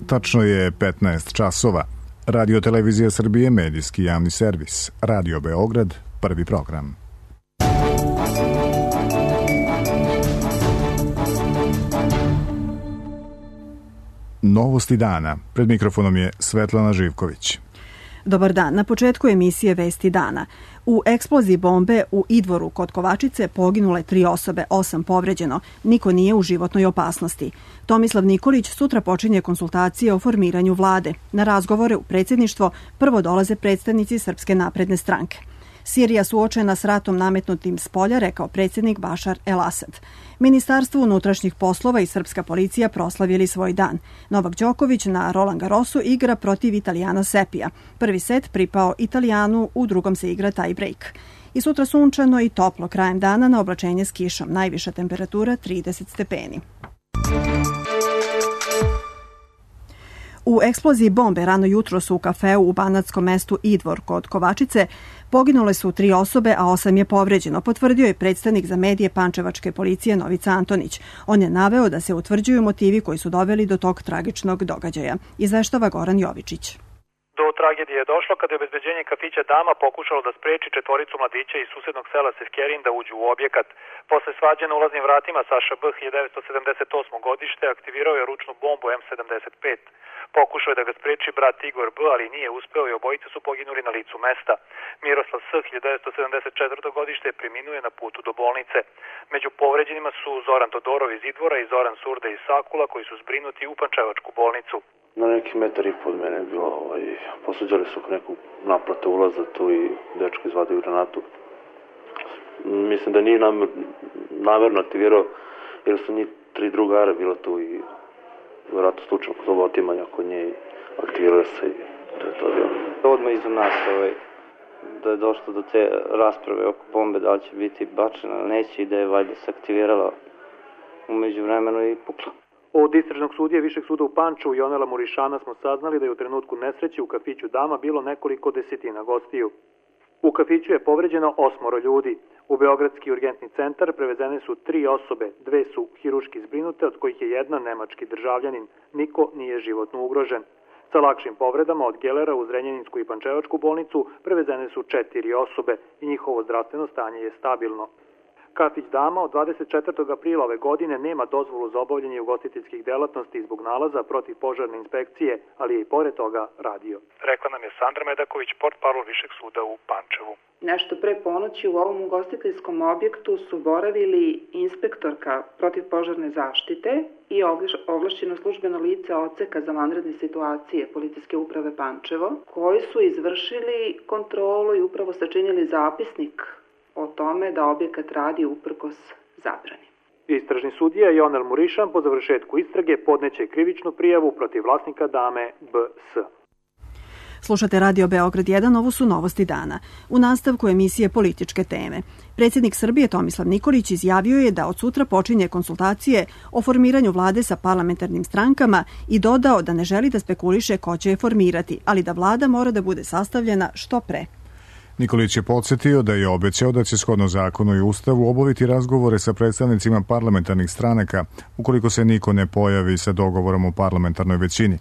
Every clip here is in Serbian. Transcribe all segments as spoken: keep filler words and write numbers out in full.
Tačno je petnaest časova. Radio Televizija Srbije, medijski javni servis. Radio Beograd, prvi program. Novosti dana. Pred mikrofonom je Svetlana Živković. Dobar dan. Na početku emisije Vesti dana. U eksploziji bombe u Idvoru kod Kovačice poginule tri osobe, osam povređeno. Niko nije u životnoj opasnosti. Tomislav Nikolić sutra počinje konsultacije o formiranju vlade. Na razgovore u predsjedništvo prvo dolaze predstavnici Srpske napredne stranke. Sirija suočena s ratom nametnutim s polja, rekao predsjednik Bašar el-Asad. Ministarstvo unutrašnjih poslova i srpska policija proslavili svoj dan. Novak Đoković na Roland Garrosu igra protiv Italijana Sepija. Prvi set pripao Italijanu, u drugom se igra tie break. I sutra sunčano i toplo krajem dana, na oblačenje s kišom. Najviša temperatura trideset stepeni. U eksploziji bombe rano jutros u kafeu u banatskom mestu Idvor kod Kovačice poginule su tri osobe, a osam je povređeno, potvrdio je predstavnik za medije pančevačke policije Novica Antonić. On je naveo da se utvrđuju motivi koji su doveli do tog tragičnog događaja. Izveštava Goran Jovičić. Do tragedije je došlo kada je obezbeđenje kafića Dama pokušalo da spreči četvoricu mladića iz susednog sela Sevkerin da uđu u objekat. Posle svađe na ulaznim vratima Saša B. hiljadu devetsto sedamdeset osmo godište aktivirao je ručnu bombu em sedamdeset pet. Pokušao je da ga spreči brat Igor B., ali nije uspeo i obojice su poginuli na licu mesta. Miroslav S. hiljadu devetsto sedamdeset četvrto godište preminuje na putu do bolnice. Među povređenima su Zoran Todorov iz Idvora i Zoran Surda iz Sakula, koji su zbrinuti u pančevačku bolnicu. Na neki metar i pod mene je bilo, ovaj, posuđali su neku naplate ulaza tu i dečko izvadio granatu. Mislim da nije namer, namerno aktivirao, jer su njih tri drugara bilo tu i vjerojatno slučajno kod ovo otimanja kod nje aktivirao se i to je to bilo. Odmah iza nas ovaj, da je došlo do te rasprave oko bombe, da li će biti bačena ili neće, i da je valjda se aktivirala umeđu vremenu i pukla. Od istražnog sudije Višeg suda u Pančevu Jonela Murišana smo saznali da je u trenutku nesreće u kafiću Dama bilo nekoliko desetina gostiju. U kafiću je povređeno osmoro ljudi. U Beogradski urgentni centar prevezene su tri osobe, dve su hiruški zbrinute, od kojih je jedna nemački državljanin. Niko nije životno ugrožen. Sa lakšim povredama od Gelera u Zrenjaninsku i Pančevačku bolnicu prevezene su četiri osobe i njihovo zdravstveno stanje je stabilno. Kafić Dama od dvadeset četvrtog aprila ove godine nema dozvolu za obavljanje ugostiteljskih delatnosti zbog nalaza protiv požarne inspekcije, ali je i pored toga radio. Rekla nam je Sandra Medaković, portparol Višeg suda u Pančevu. Nešto pre ponoći u ovom ugostiteljskom objektu su boravili inspektorka protivpožarne zaštite i ovlašćeno službeno lice odseka za vanredne situacije Policijske uprave Pančevo, koji su izvršili kontrolu i upravo sačinili zapisnik o tome da objekat radi uprkos zabrani. Istražni sudija Jonel Murišan po završetku istrage podneće krivičnu prijavu protiv vlasnika Dame B S. Slušate Radio Beograd jedan, ovo su novosti dana. U nastavku emisije Političke teme. Predsjednik Srbije Tomislav Nikolić izjavio je da od sutra počinje konsultacije o formiranju vlade sa parlamentarnim strankama i dodao da ne želi da spekuliše ko će je formirati, ali da vlada mora da bude sastavljena što pre. Nikolić je podsjetio da je obećao da će shodno zakonu i ustavu obaviti razgovore sa predstavnicima parlamentarnih stranaka ukoliko se niko ne pojavi sa dogovorom o parlamentarnoj većini.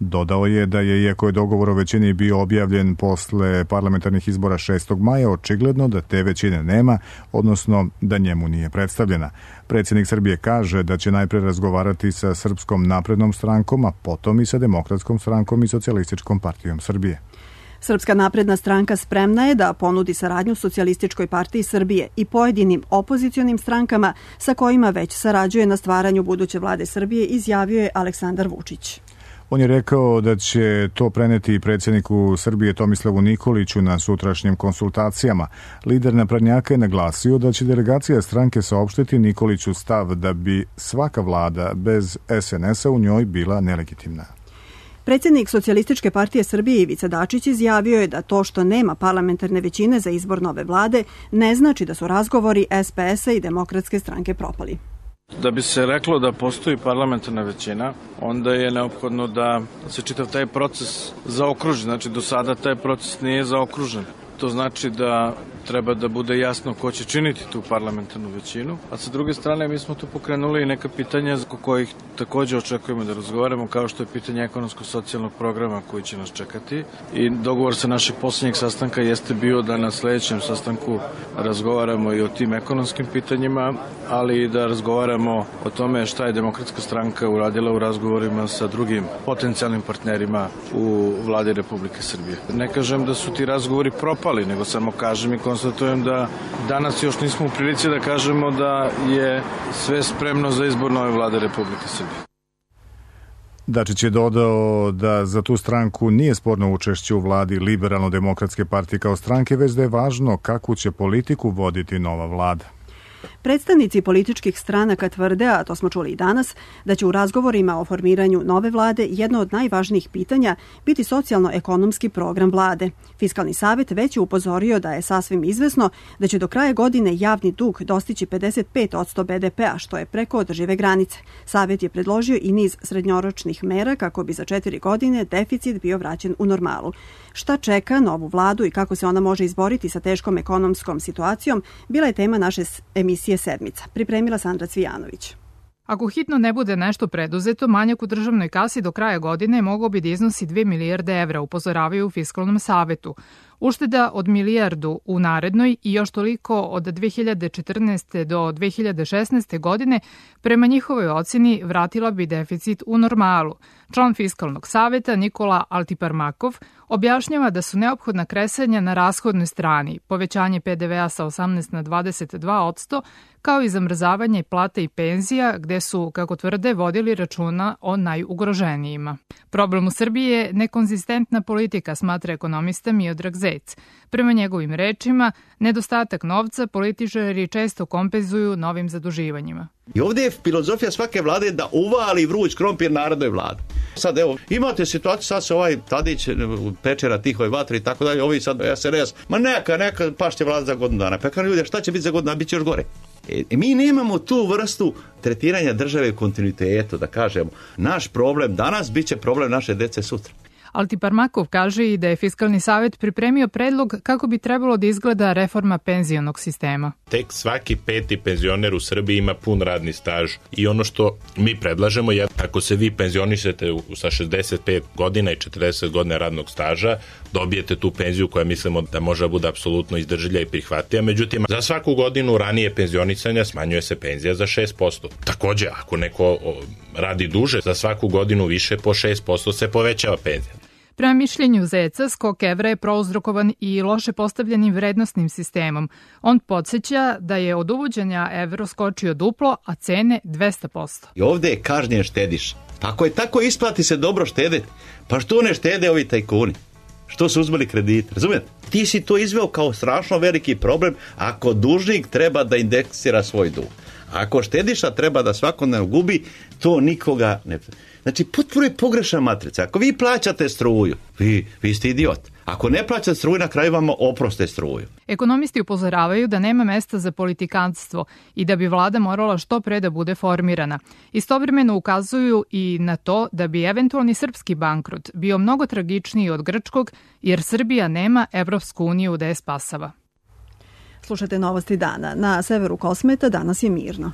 Dodao je da je, iako je dogovor o većini bio objavljen posle parlamentarnih izbora šestog maja, očigledno da te većine nema, odnosno da njemu nije predstavljena. Predsjednik Srbije kaže da će najpre razgovarati sa Srpskom naprednom strankom, a potom i sa Demokratskom strankom i Socijalističkom partijom Srbije. Srpska napredna stranka spremna je da ponudi saradnju Socijalističkoj partiji Srbije i pojedinim opozicionim strankama sa kojima već sarađuje na stvaranju buduće vlade Srbije, izjavio je Aleksandar Vučić. On je rekao da će to preneti predsjedniku Srbije Tomislavu Nikoliću na sutrašnjim konsultacijama. Lider naprednjaka je naglasio da će delegacija stranke saopštiti Nikoliću stav da bi svaka vlada bez es en es a u njoj bila nelegitimna. Predsjednik Socijalističke partije Srbije Ivica Dačić izjavio je da to što nema parlamentarne većine za izbor nove vlade ne znači da su razgovori es pe es a i Demokratske stranke propali. Da bi se reklo da postoji parlamentarna većina, onda je neophodno da se čitav taj proces zaokruži. Znači, do sada taj proces nije zaokružen. To znači da treba da bude jasno ko će činiti tu parlamentarnu većinu. A sa druge strane, mi smo tu pokrenuli i neka pitanja za kojih takođe očekujemo da razgovaramo, kao što je pitanje ekonomsko-socijalnog programa koji će nas čekati. I dogovor sa našeg poslednjeg sastanka jeste bio da na sledećem sastanku razgovaramo i o tim ekonomskim pitanjima, ali i da razgovaramo o tome šta je Demokratska stranka uradila u razgovorima sa drugim potencijalnim partnerima u vladi Republike Srbije. Ne kažem da su ti razgovori propali, nego samo kažem i konstatujem da danas još nismo u prilici da kažemo da je sve spremno za izbor nove vlade Republike Srbije. Dačić je dodao da za tu stranku nije sporno učešće u vladi Liberalno-demokratske partije kao stranke, već da je važno kakvu će politiku voditi nova vlada. Predstavnici političkih stranaka tvrde, a to smo čuli i danas, da će u razgovorima o formiranju nove vlade jedno od najvažnijih pitanja biti socijalno-ekonomski program vlade. Fiskalni savet već je upozorio da je sasvim izvesno da će do kraja godine javni dug dostići pedeset pet posto be de pea, što je preko održive granice. Savet je predložio i niz srednjoročnih mera kako bi za četiri godine deficit bio vraćen u normalu. Šta čeka novu vladu i kako se ona može izboriti sa teškom ekonomskom situacijom, bila je tema naše emisije Sedmica. Pripremila Sandra Cvijanović. Ako hitno ne bude nešto preduzeto, manjak u državnoj kasi do kraja godine mogao bi da iznosi dve milijarde evra, upozoravaju u Fiskalnom savetu. Ušteda od milijardu u narednoj i još toliko od dve hiljade četrnaeste. do dve hiljade šesnaeste. godine prema njihovoj oceni vratila bi deficit u normalu. Član Fiskalnog saveta Nikola Altiparmakov objašnjava da su neophodna kresanja na rashodnoj strani, povećanje pe de vea sa osamnaest na dvadeset dva posto, kao i zamrzavanje plata i penzija, gde su, kako tvrde, vodili računa o najugroženijima. Problem u Srbiji je nekonzistentna politika, smatra ekonomista Miodrag Zec. Prema njegovim rečima, nedostatak novca političari često kompenzuju novim zaduživanjima. I ovdje je filozofija svake vlade da uvali vruć krompir narodnoj vladi. Sad evo, imate situaciju, sad se ovaj Tadić peče na tihoj vatri i tako dalje, ovi sad es en es, ma neka, neka, pašće vlada za godinu dana. Pa kažem ljudi, šta će biti za godinu dana, bit će još gore. E, mi nemamo tu vrstu tretiranja države u kontinuitetu, da kažemo, naš problem danas bit će problem naše dece sutra. Altiparmakov kaže i da je Fiskalni savet pripremio predlog kako bi trebalo da izgleda reforma penzionog sistema. Tek svaki peti penzioner u Srbiji ima pun radni staž i ono što mi predlažemo je ako se vi penzionišete sa šezdeset pet godina i četrdeset godina radnog staža, dobijete tu penziju koja mislimo da može da bude apsolutno izdržljiva i prihvatljiva. Međutim, za svaku godinu ranije penzionisanja smanjuje se penzija za šest posto. Takođe, ako neko radi duže, za svaku godinu više po šest posto se povećava penzija. Prema mišljenju Zeca, skok evra je prouzrokovan i loše postavljenim vrednostnim sistemom. On podsjeća da je od uvođenja evro skočio duplo, a cene dvesta posto. I ovde je kažnjen štediš. Ako je tako, isplati se dobro štedeti. Pa što ne štede ovi tajkuni? Što su uzmeli kredite? Razumijete? Ti si to izveo kao strašno veliki problem ako dužnik treba da indeksira svoj dug. Ako štediša treba da svakodnevno gubi, to nikoga ne... Znači, potpuno je pogrešna matrica. Ako vi plaćate struju, vi, vi ste idiot. Ako ne plaćate struju, na kraju vam oproste struju. Ekonomisti upozoravaju da nema mesta za politikanstvo i da bi vlada morala što pre da bude formirana. Istovremeno ukazuju i na to da bi eventualni srpski bankrot bio mnogo tragičniji od grčkog, jer Srbija nema Evropsku uniju da je spasava. Slušate novosti dana. Na severu Kosmeta danas je mirno.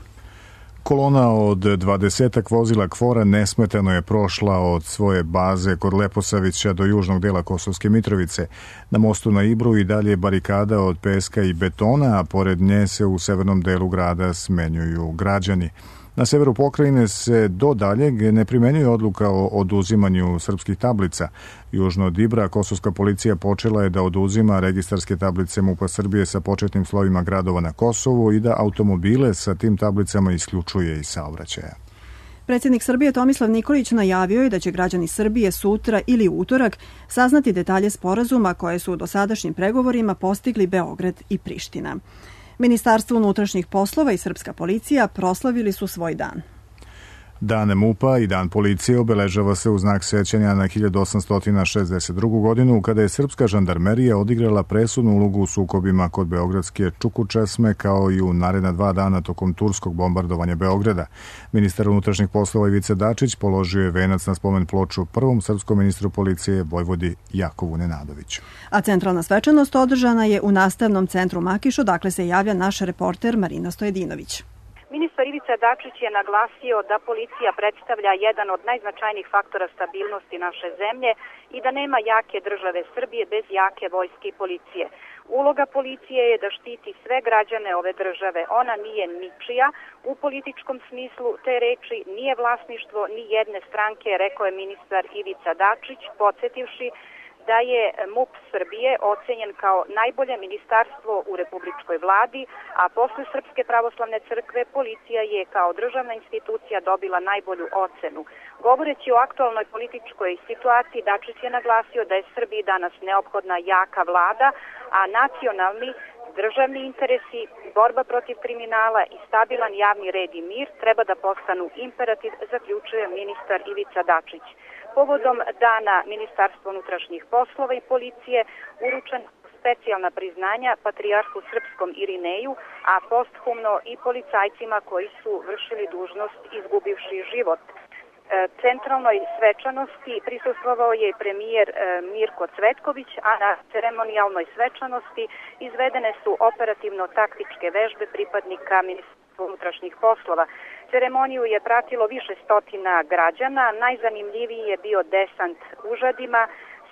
Kolona od dvadesetak vozila KFOR-a nesmetano je prošla od svoje baze kod Leposavića do južnog dela Kosovske Mitrovice. Na mostu na Ibru i dalje barikada od peska i betona, a pored nje se u severnom delu grada smenjuju građani. Na severu pokrajine se do daljeg ne primenjuje odluka o oduzimanju srpskih tablica. Južno od Ibra kosovska policija počela je da oduzima registarske tablice MUP-a Srbije sa početnim slovima gradova na Kosovu i da automobile sa tim tablicama isključuje iz saobraćaja. Predsjednik Srbije Tomislav Nikolić najavio je da će građani Srbije sutra ili utorak saznati detalje sporazuma koje su u dosadašnjim pregovorima postigli Beograd i Priština. Ministarstvo unutrašnjih poslova i srpska policija proslavili su svoj dan. Dan MUP-a i Dan policije obeležava se u znak sećanja na hiljadu osamsto šezdeset drugu. godinu, kada je srpska žandarmerija odigrala presudnu ulogu u sukobima kod beogradske Čukučesme, kao i u naredna dva dana tokom turskog bombardovanja Beograda. Ministar unutrašnjih poslova Ivica Dačić položio je venac na spomen ploču prvom srpskom ministru policije Vojvodi Jakovu Nenadoviću. A centralna svečanost održana je u nastavnom centru Makiš, odakle se javlja naš reporter Marina Stojedinović. Ministar Ivica Dačić je naglasio da policija predstavlja jedan od najznačajnijih faktora stabilnosti naše zemlje i da nema jake države Srbije bez jake vojske i policije. Uloga policije je da štiti sve građane ove države. Ona nije ničija u političkom smislu te reči, nije vlasništvo ni jedne stranke, rekao je ministar Ivica Dačić, podsjetivši da je MUP Srbije ocenjen kao najbolje ministarstvo u republičkoj vladi, a posle Srpske pravoslavne crkve policija je kao državna institucija dobila najbolju ocenu. Govoreći o aktualnoj političkoj situaciji, Dačić je naglasio da je Srbiji danas neophodna jaka vlada, a nacionalni državni interesi, borba protiv kriminala i stabilan javni red i mir treba da postanu imperativ, zaključuje ministar Ivica Dačić. Povodom dana Ministarstva unutrašnjih poslova i policije uručena specijalna priznanja patrijarhu srpskom Irineju, a posthumno i policajcima koji su vršili dužnost izgubivši život. Centralnoj svečanosti prisustvovao je premijer Mirko Cvetković, a na ceremonijalnoj svečanosti izvedene su operativno-taktičke vežbe pripadnika Ministarstva unutrašnjih poslova. Ceremoniju je pratilo više stotina građana, najzanimljiviji je bio desant užadima,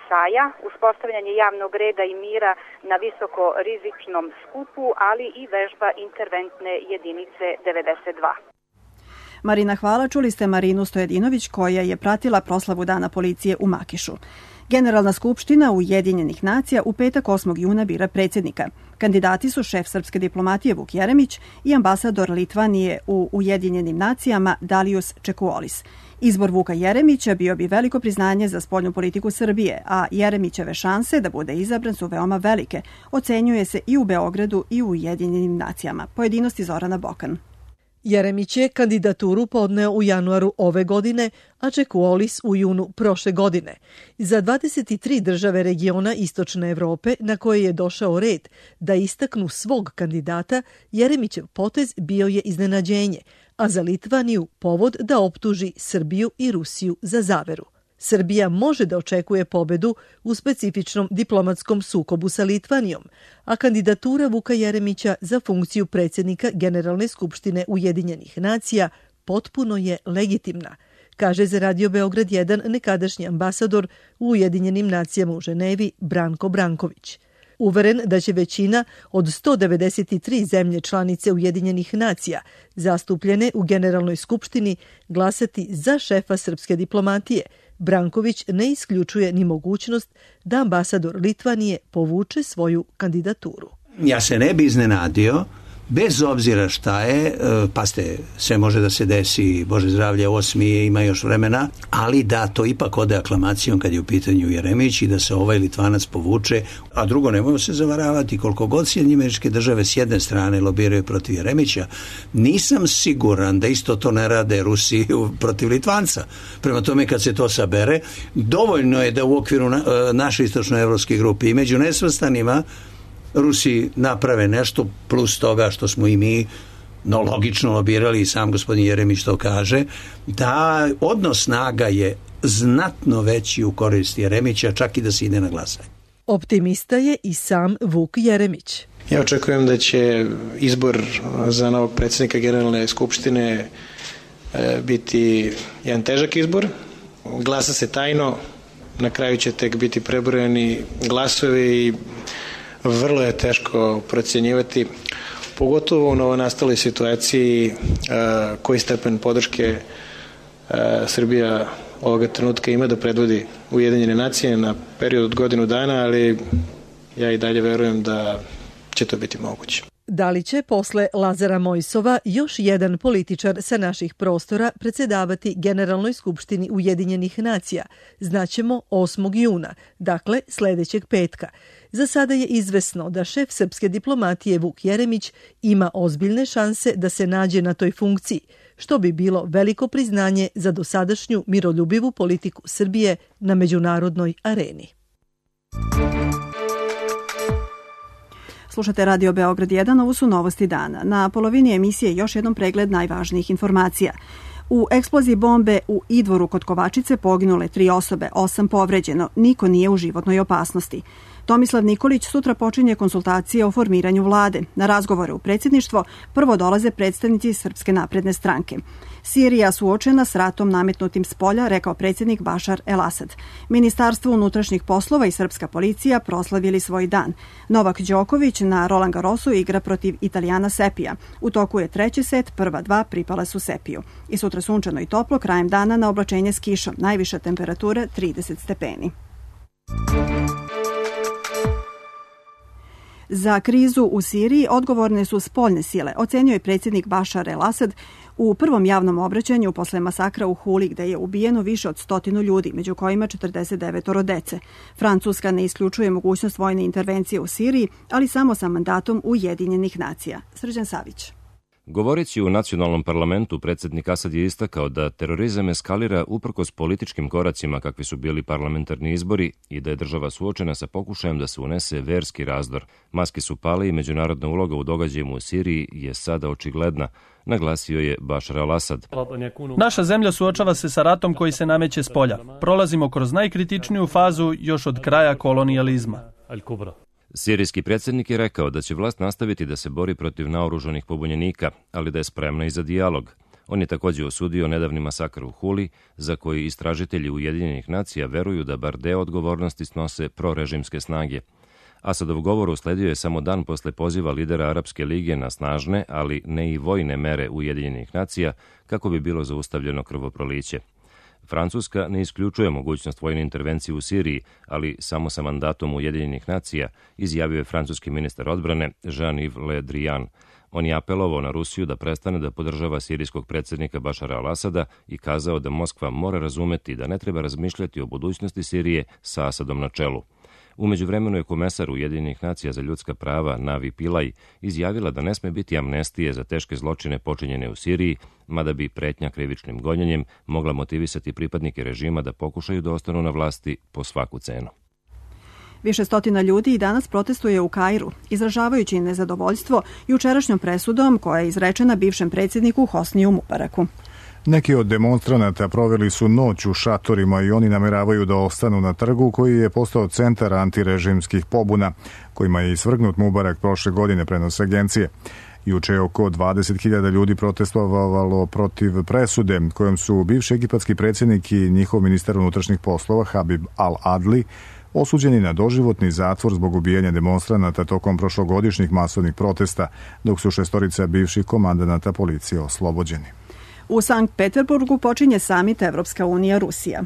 saja, uspostavljanje javnog reda i mira na visoko rizičnom skupu, ali i vežba interventne jedinice devedeset dva. Marina, hvala. Čuli ste Marinu Stojedinović koja je pratila proslavu Dana policije u Makišu. Generalna skupština Ujedinjenih nacija u petak osmog juna bira predsjednika. Kandidati su šef srpske diplomatije Vuk Jeremić i ambasador Litvanije u Ujedinjenim nacijama Dalius Čekuolis. Izbor Vuka Jeremića bio bi veliko priznanje za spoljnu politiku Srbije, a Jeremićeve šanse da bude izabran su veoma velike. Ocenjuje se i u Beogradu i u Ujedinjenim nacijama. Pojedinosti Zorana Bokan. Jeremić je kandidaturu podneo u januaru ove godine, a Čekuolis u junu prošle godine. Za dvadeset tri države regiona Istočne Evrope na koje je došao red da istaknu svog kandidata, Jeremićev potez bio je iznenađenje, a za Litvaniju povod da optuži Srbiju i Rusiju za zaveru. Srbija može da očekuje pobedu u specifičnom diplomatskom sukobu sa Litvanijom, a kandidatura Vuka Jeremića za funkciju predsjednika Generalne skupštine Ujedinjenih nacija potpuno je legitimna, kaže za Radio Beograd jedan nekadašnji ambasador u Ujedinjenim nacijama u Ženevi Branko Branković. Uveren da će većina od sto devedeset tri zemlje članice Ujedinjenih nacija zastupljene u Generalnoj skupštini glasati za šefa srpske diplomatije, Branković ne isključuje ni mogućnost da ambasador Litvanije povuče svoju kandidaturu. Ja se ne bi iznenadio, bez obzira šta je, pa ste, sve može da se desi, Bože zdravlje, osmi ima još vremena, ali da to ipak ode aklamacijom kad je u pitanju Jeremić i da se ovaj Litvanac povuče, a drugo nemojmo se zavaravati, koliko god Sjedinjene Američke Države s jedne strane lobiraju protiv Jeremića, nisam siguran da isto to ne rade Rusi protiv Litvanca. Prema tome kad se to sabere, dovoljno je da u okviru na, naše istočnoevropske grupe i među nesvrstanima Rusi naprave nešto plus toga što smo i mi no, logično lobirali i sam gospodin Jeremić to kaže, da odnos snaga je znatno veći u korist Jeremića, čak i da se ide na glasanje. Optimista je i sam Vuk Jeremić. Ja očekujem da će izbor za novog predsjednika Generalne skupštine biti jedan težak izbor. Glasa se tajno, na kraju će tek biti prebrojeni glasovi i vrlo je teško procjenjivati, pogotovo u novonastaloj situaciji koji stepen podrške Srbija ovoga trenutka ima da predvodi Ujedinjene nacije na period od godinu dana, ali ja i dalje verujem da će to biti moguće. Da li će posle Lazara Mojsova još jedan političar sa naših prostora predsjedavati Generalnoj skupštini Ujedinjenih nacija? Znaćemo osmog juna, dakle sljedećeg petka. Za sada je izvesno da šef srpske diplomatije Vuk Jeremić ima ozbiljne šanse da se nađe na toj funkciji, što bi bilo veliko priznanje za dosadašnju miroljubivu politiku Srbije na međunarodnoj areni. Slušate Radio Beograd jedan, ovo su novosti dana. Na polovini emisije još jednom pregled najvažnijih informacija. U eksploziji bombe u Idvoru kod Kovačice poginule tri osobe, osam povređeno, niko nije u životnoj opasnosti. Tomislav Nikolić sutra počinje konsultacije o formiranju vlade. Na razgovore u predsjedništvo prvo dolaze predstavnici Srpske napredne stranke. Sirija suočena s ratom nametnutim s polja, rekao predsjednik Bašar el-Asad. Ministarstvo unutrašnjih poslova i srpska policija proslavili svoj dan. Novak Đoković na Roland Garrosu igra protiv Italijana Sepija. U toku je treći set, prva dva pripala su Sepiju. I sutra sunčano i toplo, krajem dana na oblačenje s kišom. Najviša temperatura trideset stepeni. Za krizu u Siriji odgovorne su spoljne sile, ocenio je predsjednik Bašar el-Asad u prvom javnom obraćanju posle masakra u Huli, gde je ubijeno više od stotinu ljudi, među kojima četrdeset devet dece. Francuska ne isključuje mogućnost vojne intervencije u Siriji, ali samo sa mandatom Ujedinjenih nacija. Srđan Savić. Govoreći u nacionalnom parlamentu, predsjednik Asad je istakao da terorizam eskalira uprkos političkim koracima kakvi su bili parlamentarni izbori i da je država suočena sa pokušajem da se unese verski razdor. Maske su pale i međunarodna uloga u događajima u Siriji je sada očigledna, naglasio je Bašar al-Asad. Naša zemlja suočava se sa ratom koji se nameće s polja. Prolazimo kroz najkritičniju fazu još od kraja kolonijalizma. Sirijski predsjednik je rekao da će vlast nastaviti da se bori protiv naoružanih pobunjenika, ali da je spremna i za dijalog. On je također osudio nedavni masakr u Huli, za koji istražitelji Ujedinjenih nacija veruju da bar deo odgovornosti snose prorežimske snage. Asadov govor usledio je samo dan posle poziva lidera Arapske lige na snažne, ali ne i vojne mere Ujedinjenih nacija, kako bi bilo zaustavljeno krvoproliće. Francuska ne isključuje mogućnost vojne intervencije u Siriji, ali samo sa mandatom Ujedinjenih nacija, izjavio je francuski ministar odbrane Jean-Yves Le Drian. On je apelovao na Rusiju da prestane da podržava sirijskog predsjednika Bašara al-Asada i kazao da Moskva mora razumeti da ne treba razmišljati o budućnosti Sirije sa Asadom na čelu. U međuvremenu je komesar Ujedinjenih nacija za ljudska prava Navi Pillay izjavila da ne sme biti amnestije za teške zločine počinjene u Siriji, mada bi pretnja krivičnim gonjenjem mogla motivisati pripadnike režima da pokušaju da ostanu na vlasti po svaku cenu. Više stotina ljudi i danas protestuje u Kairu, izražavajući nezadovoljstvo jučerašnjom presudom koja je izrečena bivšem predsjedniku Hosniju Mubaraku. Neki od demonstranata proveli su noć u šatorima i oni nameravaju da ostanu na trgu koji je postao centar antirežimskih pobuna, kojima je isvrgnut Mubarak prošle godine, prenose agencije. Juče je oko dvadeset hiljada ljudi protestovalo protiv presude kojom su bivši egipatski predsjednik i njihov ministar unutrašnjih poslova Habib al-Adli osuđeni na doživotni zatvor zbog ubijanja demonstranata tokom prošlogodišnjih masovnih protesta, dok su šestorica bivših komandanata policije oslobođeni. U Sankt Peterburgu počinje samit Evropska unija Rusija.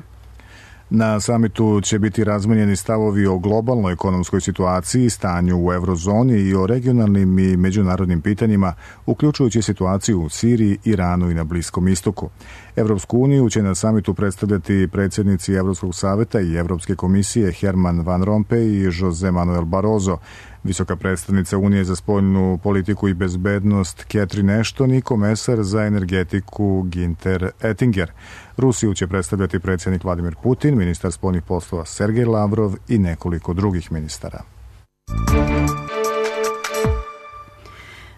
Na samitu će biti razmenjeni stavovi o globalnoj ekonomskoj situaciji, stanju u eurozoni i o regionalnim i međunarodnim pitanjima, uključujući situaciju u Siriji, Iranu i na Bliskom istoku. Evropsku uniju će na samitu predstavljati predsjednici Evropskog saveta i Evropske komisije Herman Van Rompuy i Jose Manuel Barroso, visoka predstavnica Unije za spoljnu politiku i bezbednost Catherine Ashton i komesar za energetiku Günther Oettinger. Rusiju će predstavljati predsjednik Vladimir Putin, ministar spoljnih poslova Sergej Lavrov i nekoliko drugih ministara.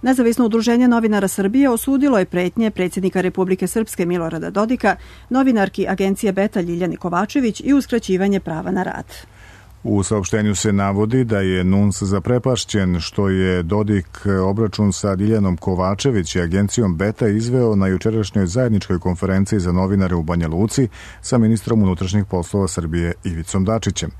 Nezavisno udruženje novinara Srbije osudilo je pretnje predsjednika Republike Srpske Milorada Dodika, novinarki agencije Beta Ljiljani Kovačević i uskraćivanje prava na rad. U saopštenju se navodi da je N U N S zaprepašćen što je Dodik obračun sa Diljanom Kovačević i agencijom Beta izveo na jučerašnjoj zajedničkoj konferenciji za novinare u Banja Luci sa ministrom unutrašnjih poslova Srbije Ivicom Dačićem.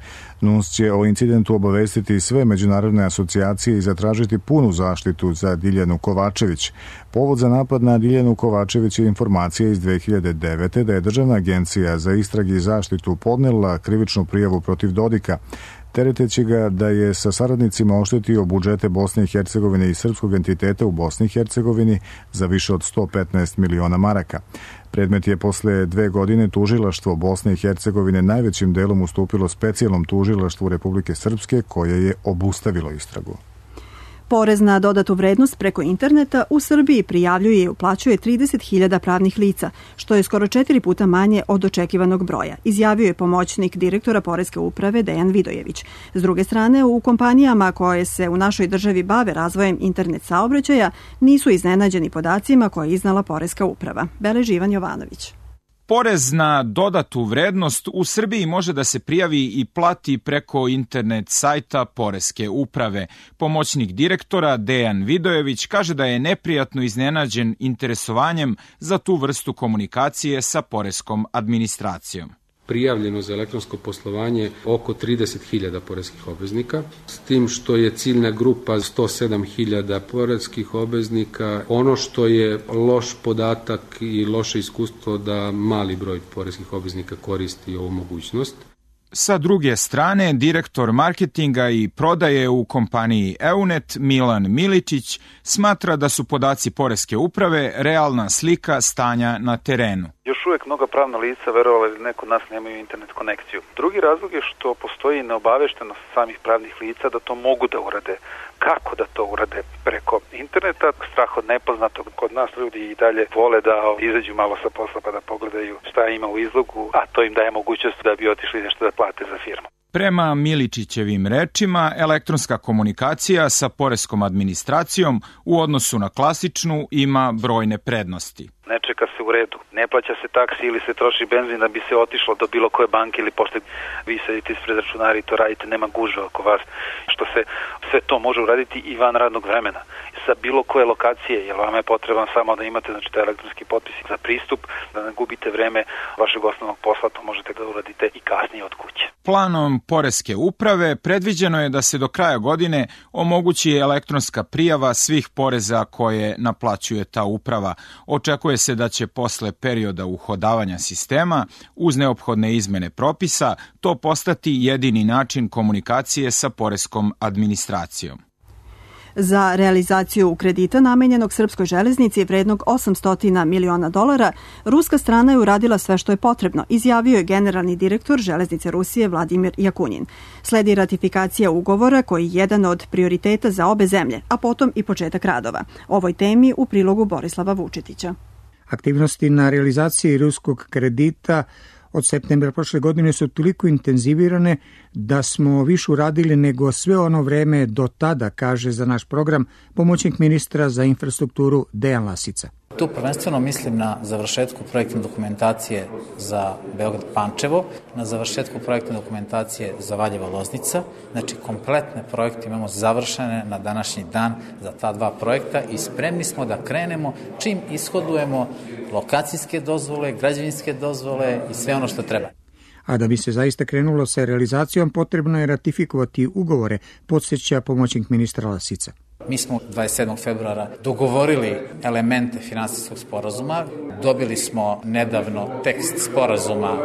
N U N S će o incidentu obavestiti sve međunarodne asocijacije i zatražiti punu zaštitu za Diljanu Kovačević. Povod za napad na Diljanu Kovačević je informacija iz dve hiljade devete. da je Državna agencija za istrage i zaštitu podnela krivičnu prijavu protiv Dodika, tereteći ga da je sa saradnicima oštetio budžete Bosne i Hercegovine i srpskog entiteta u Bosni i Hercegovini za više od sto petnaest miliona maraka. Predmet je posle dve godine tužilaštvo Bosne i Hercegovine najvećim delom ustupilo specijalnom tužilaštvu Republike Srpske, koje je obustavilo istragu. Porez na dodatu vrednost preko interneta u Srbiji prijavljuje i uplaćuje trideset hiljada pravnih lica, što je skoro četiri puta manje od očekivanog broja, izjavio je pomoćnik direktora Poreske uprave Dejan Vidojević. S druge strane, u kompanijama koje se u našoj državi bave razvojem internet saobraćaja nisu iznenađeni podacima koje je iznala Poreska uprava. Beleži Ivan Jovanović. Porez na dodatu vrednost u Srbiji može da se prijavi i plati preko internet sajta Poreske uprave. Pomoćnik direktora Dejan Vidojević kaže da je neprijatno iznenađen interesovanjem za tu vrstu komunikacije sa poreskom administracijom. Prijavljeno za elektronsko poslovanje oko trideset hiljada poreskih obveznika, s tim što je ciljna grupa sto sedam hiljada poreskih obveznika. Ono što je loš podatak i loše iskustvo da mali broj poreskih obveznika koristi ovu mogućnost. Sa druge strane, direktor marketinga i prodaje u kompaniji Eunet Milan Miličić smatra da su podaci Poreske uprave realna slika stanja na terenu. Još uvek mnoga pravna lica, verovali ili neko od nas, nemaju internet konekciju. Drugi razlog je što postoji neobaveštenost samih pravnih lica da to mogu da urade. Kako da to urade preko interneta? Strah od nepoznatog. Kod nas ljudi i dalje vole da izađu malo sa posla pa da pogledaju šta ima u izlogu, a to im daje mogućnost da bi otišli nešto da plate za firmu. Prema Miličićevim rečima, elektronska komunikacija sa poreskom administracijom u odnosu na klasičnu ima brojne prednosti. Ne čeka se u redu, ne plaća se taksi ili se troši benzin da bi se otišlo do bilo koje banke ili pošte. Vi sedite ispred računara i to radite, nema gužve oko vas. Što se sve to može uraditi i van radnog vremena. Sa bilo koje lokacije, jer vam je potreban samo da imate znači, taj elektronski potpis za pristup, da ne gubite vreme vašeg osnovnog posla, to možete da uradite i kasnije od kuće. Planom Poreske uprave predviđeno je da se do kraja godine omogući elektronska prijava svih poreza koje naplaćuje ta uprava. Očekuje se da će posle perioda uhodavanja sistema, uz neophodne izmene propisa, to postati jedini način komunikacije sa poreskom administracijom. Za realizaciju kredita namenjenog Srpskoj železnici vrednog osamsto miliona dolara, ruska strana je uradila sve što je potrebno, izjavio je generalni direktor Železnice Rusije Vladimir Jakunin. Sledi ratifikacija ugovora koji je jedan od prioriteta za obe zemlje, a potom i početak radova. Ovoj temi u prilogu Borislava Vučetića. Aktivnosti na realizaciji ruskog kredita od septembra prošle godine su toliko intenzivirane da smo više uradili nego sve ono vreme do tada, kaže za naš program pomoćnik ministra za infrastrukturu Dejan Lasica. Tu prvenstveno mislim na završetku projektne dokumentacije za Beograd-Pančevo, na završetku projektne dokumentacije za Valjevo-Loznica. Znači, kompletne projekte imamo završene na današnji dan za ta dva projekta i spremni smo da krenemo čim ishodujemo lokacijske dozvole, građevinske dozvole i sve ono što treba. A da bi se zaista krenulo sa realizacijom, potrebno je ratifikovati ugovore, podsjeća pomoćnik ministra Lasica. Mi smo dvadeset sedmog februara dogovorili elemente finansijskog sporazuma. Dobili smo nedavno tekst sporazuma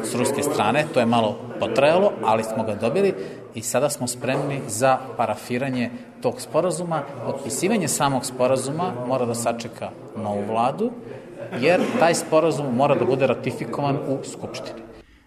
s ruske strane, to je malo potrajalo, ali smo ga dobili i sada smo spremni za parafiranje tog sporazuma. Potpisivanje samog sporazuma mora da sačeka novu vladu, jer taj sporazum mora da bude ratifikovan u Skupštini.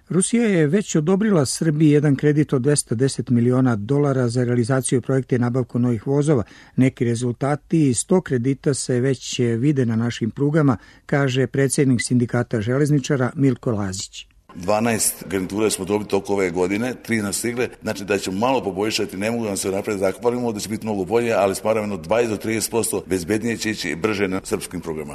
Rusija je već odobrila Srbiji jedan kredit od dvesta deset miliona dolara za realizaciju projekta i nabavku novih vozova. Neki rezultati iz tog kredita se već vide na našim prugama, kaže predsjednik sindikata železničara Milko Lazić. dvanaest garnitura smo dobili toko ove godine, tri nas stigle, znači da ćemo malo poboljšati, ne mogu nam se napred zahvalimo da će biti mnogo bolje, ali smaravno dvadeset do trideset posto bezbednije će ići brže na srpskim programa.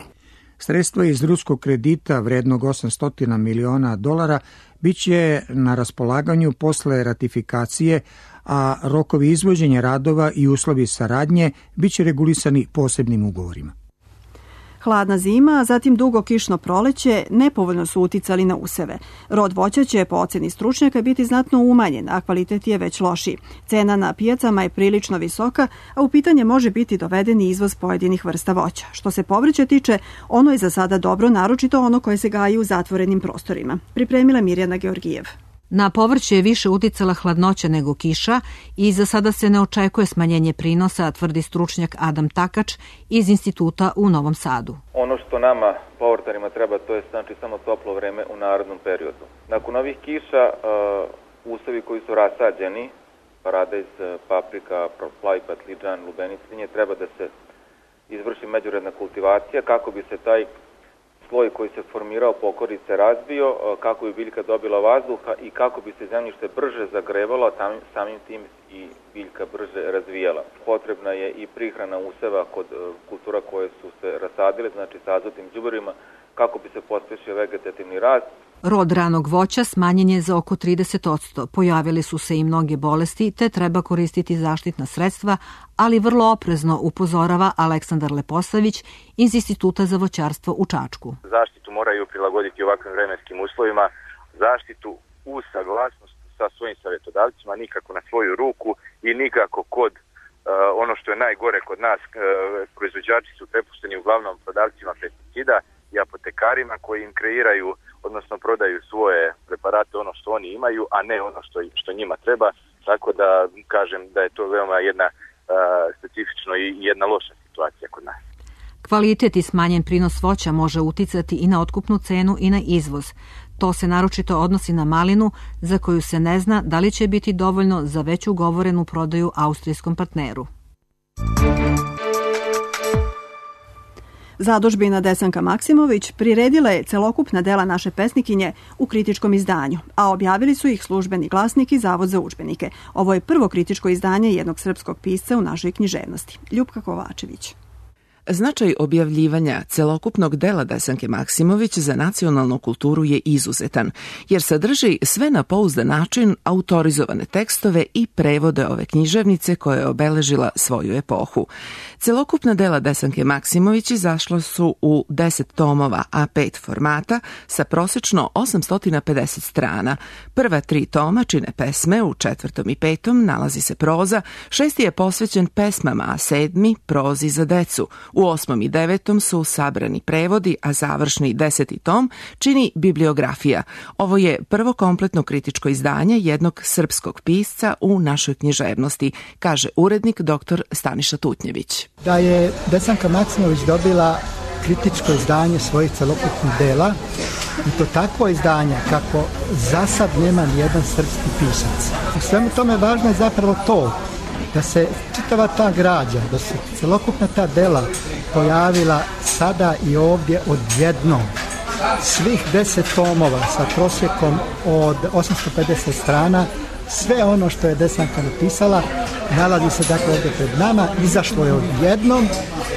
Sredstva iz ruskog kredita vrednog osamsto miliona dolara biće na raspolaganju posle ratifikacije, a rokovi izvođenja radova i uslovi saradnje biće regulisani posebnim ugovorima. Hladna zima, a zatim dugo kišno proleće nepovoljno su uticali na useve. Rod voća će po oceni stručnjaka biti znatno umanjen, a kvalitet je već lošiji. Cena na pijacama je prilično visoka, a u pitanje može biti doveden i izvoz pojedinih vrsta voća. Što se povrća tiče, ono je za sada dobro, naročito ono koje se gaji u zatvorenim prostorima. Pripremila Mirjana Georgijev. Na povrće je više uticala hladnoća nego kiša i za sada se ne očekuje smanjenje prinosa, tvrdi stručnjak Adam Takač iz instituta u Novom Sadu. Ono što nama, povrtarima, treba, to je znači samo toplo vreme u narodnom periodu. Nakon ovih kiša, uh, usevi koji su rasađeni, paradajz, paprika, plavi patliđan, lubeniclinje, treba da se izvrši međuredna kultivacija kako bi se taj sloj koji se formirao po okolici razbio, kako bi biljka dobila vazduha i kako bi se zemljište brže zagrevalo, a samim tim i biljka brže razvijala. Potrebna je i prihrana useva kod kultura koje su se rasadile, znači sa azotnim đubrevima, kako bi se pospešio vegetativni rast. Rod ranog voća smanjen je za oko trideset posto. Pojavili su se i mnoge bolesti, te treba koristiti zaštitna sredstva, ali vrlo oprezno, upozorava Aleksandar Leposavić iz Instituta za voćarstvo u Čačku. Zaštitu moraju prilagoditi ovakvim vremenskim uslovima, zaštitu uz saglasnost sa svojim savjetodavcima, nikako na svoju ruku i nikako kod uh, ono što je najgore kod nas, uh, proizvođači su prepušteni uglavnom prodavcima pesticida i apotekarima koji im kreiraju, odnosno prodaju svoje preparate, ono što oni imaju, a ne ono što, što njima treba. Tako da kažem da je to veoma jedna uh, specifično i jedna loša situacija kod nas. Kvalitet i smanjen prinos voća može uticati i na otkupnu cenu i na izvoz. To se naročito odnosi na malinu, za koju se ne zna da li će biti dovoljno za već ugovorenu prodaju austrijskom partneru. Zadužbina Desanka Maksimović priredila je celokupna dela naše pesnikinje u kritičkom izdanju, a objavili su ih Službeni glasnik i Zavod za udžbenike. Ovo je prvo kritičko izdanje jednog srpskog pisca u našoj književnosti. Ljupka Kovačević. Značaj objavljivanja celokupnog dela Desanke Maksimović za nacionalnu kulturu je izuzetan, jer sadrži sve na pouzdan način autorizovane tekstove i prevode ove književnice koja je obeležila svoju epohu. Celokupna dela Desanke Maksimović izašla su u deset tomova A pet formata sa prosečno osamsto pedeset strana. Prva tri toma čine pesme, u četvrtom i petom nalazi se proza, šesti je posvećen pesmama, a sedmi prozi za decu. U osmom i devetom su sabrani prevodi, a završni deseti tom čini bibliografija. Ovo je prvo kompletno kritičko izdanje jednog srpskog pisca u našoj književnosti, kaže urednik dr Staniša Tutnjević. Da je Desanka Maksimović dobila kritičko izdanje svojih celokupnih dela, i to takvo izdanje kako za sad nema nijedan srpski pisac. U svemu tome važno je zapravo to da se čitava ta građa, da se celokupna ta dela pojavila sada i ovdje odjednom. Svih deset tomova sa prosjekom od osamsto pedeset strana, sve ono što je Desanka napisala nalazi se dakle ovdje pred nama, izašlo je odjednom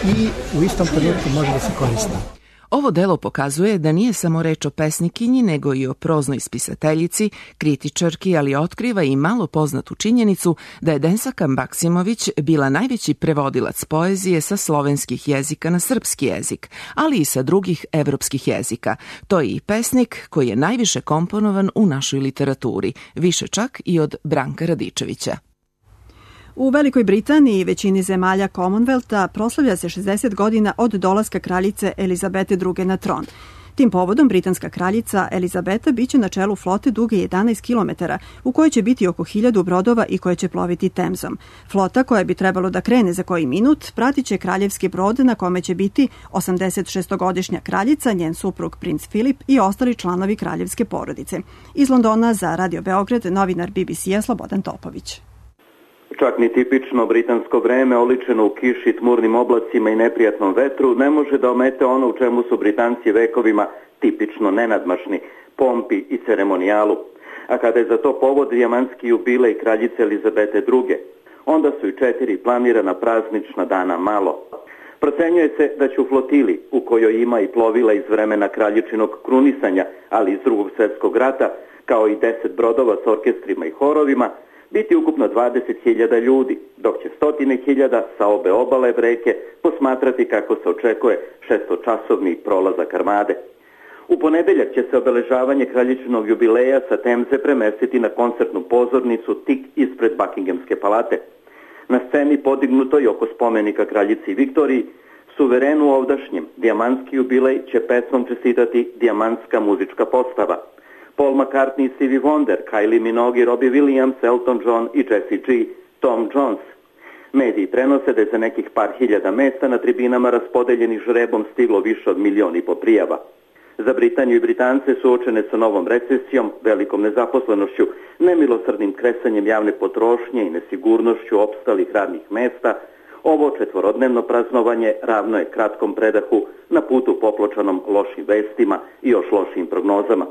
i u istom trenutku može da se koristi. Ovo delo pokazuje da nije samo reč o pesnikinji, nego i o proznoj spisateljici, kritičarki, ali otkriva i malo poznatu činjenicu da je Desanka Maksimović bila najveći prevodilac poezije sa slovenskih jezika na srpski jezik, ali i sa drugih evropskih jezika. To je i pesnik koji je najviše komponovan u našoj literaturi, više čak i od Branka Radičevića. U Velikoj Britaniji i većini zemalja Commonwealtha proslavlja se šezdeset godina od dolaska kraljice Elizabete druge na tron. Tim povodom britanska kraljica Elizabeta biće na čelu flote duge jedanaest kilometara, u kojoj će biti oko hiljadu brodova i koje će ploviti Temzom. Flota, koja bi trebalo da krene za koji minut, pratit će kraljevski brod na kome će biti osamdeset šestogodišnja kraljica, njen suprug princ Filip i ostali članovi kraljevske porodice. Iz Londona za Radio Beograd novinar B B C-a Slobodan Topović. Čak ni tipično britansko vreme, oličeno u kiši, tmurnim oblacima i neprijatnom vetru, ne može da omete ono u čemu su Britanci vekovima tipično nenadmašni, pompi i ceremonijalu. A kada je za to povod dijamantski jubilej kraljice Elizabete druge, onda su i četiri planirana praznična dana malo. Procenjuje se da će u flotili, u kojoj ima i plovila iz vremena kraljičinog krunisanja, ali iz drugog svjetskog rata, kao i deset brodova s orkestrima i horovima, biti ukupno dvadeset hiljada ljudi, dok će stotine hiljada sa obe obale reke posmatrati kako se očekuje šestočasovni prolazak armade. U ponedeljak će se obeležavanje kraljičinog jubileja sa Temze premestiti na koncertnu pozornicu tik ispred Buckinghamske palate. Na sceni podignutoj oko spomenika kraljici Viktoriji, suverenu ovdašnjem, dijamantski jubilej će pesmom čestitati dijamantska muzička postava. Paul McCartney i Stevie Wonder, Kylie Minogue, Robbie Williams, Elton John i Jessie G, Tom Jones. Mediji prenose da je za nekih par hiljada mesta na tribinama raspodeljenih žrebom stiglo više od milion i po prijava. Za Britaniju i Britance suočene sa novom recesijom, velikom nezaposlenošću, nemilosrdnim kresanjem javne potrošnje i nesigurnošću opstalih radnih mesta, ovo četvorodnevno praznovanje ravno je kratkom predahu na putu popločanom lošim vestima i još lošim prognozama.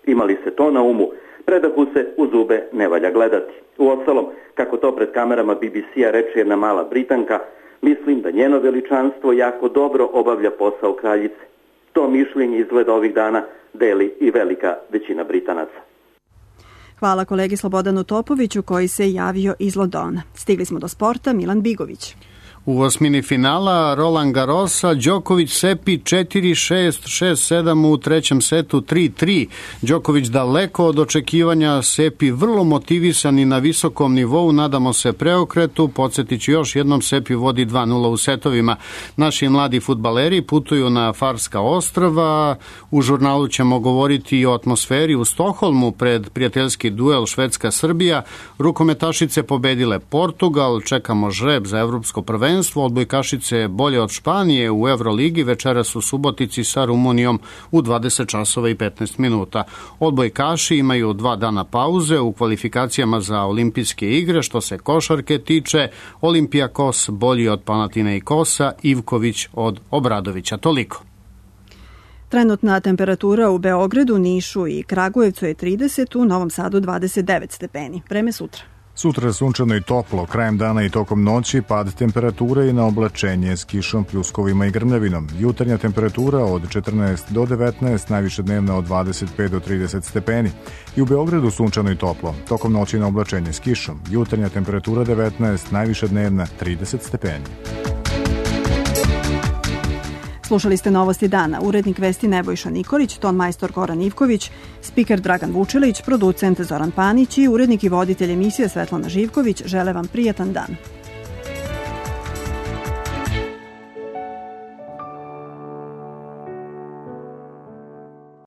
Imali se to na umu, predahu se u zube ne valja gledati. Uostalom, kako to pred kamerama B B C-a reče jedna mala Britanka, mislim da njeno veličanstvo jako dobro obavlja posao kraljice. To mišljenje izgleda ovih dana deli i velika većina Britanaca. Hvala kolegi Slobodanu Topoviću koji se javio iz Londona. Stigli smo do sporta, Milan Bigović. U osmini finala Roland Garrosa, Đoković Sepi četiri šest, šest sedam u trećem setu tri tri. Đoković daleko od očekivanja, Sepi vrlo motivisan i na visokom nivou, nadamo se preokretu. Podsjetiću još jednom, Sepi vodi dva nula u setovima. Naši mladi fudbaleri putuju na Farska ostrva. U žurnalu ćemo govoriti i o atmosferi u Stokholmu pred prijateljski duel Švedska-Srbija. Rukometašice pobedile Portugal, čekamo žreb za evropsko prvenstvo. Odbojkašice bolje od Španije u Euroligi, večeras u Subotici sa Rumunijom u dvadeset časova i petnaest minuta. Odbojkaši imaju dva dana pauze u kvalifikacijama za olimpijske igre. Što se košarke tiče, Olimpijakos bolji od Panathinaikosa, Ivković od Obradovića. Toliko. Trenutna temperatura u Beogradu, Nišu i Kragujevcu je trideset, u Novom Sadu dvadeset devet stepeni. Vreme sutra. Sutra je sunčano i toplo, krajem dana i tokom noći pad temperature i na oblačenje s kišom, pljuskovima i grmljavinom. Jutarnja temperatura od četrnaest do devetnaest, najviše dnevna od dvadeset pet do trideset stepeni. I u Beogradu sunčano i toplo, tokom noći na oblačenje s kišom. Jutarnja temperatura devetnaest, najviše dnevna trideset stepeni. Slušali ste Novosti dana. Urednik vesti Nebojša Nikolić, ton majstor Goran Ivković, spiker Dragan Vučilić, producent Zoran Panić i urednik i voditelj emisije Svetlana Živković. Žele vam prijatan dan.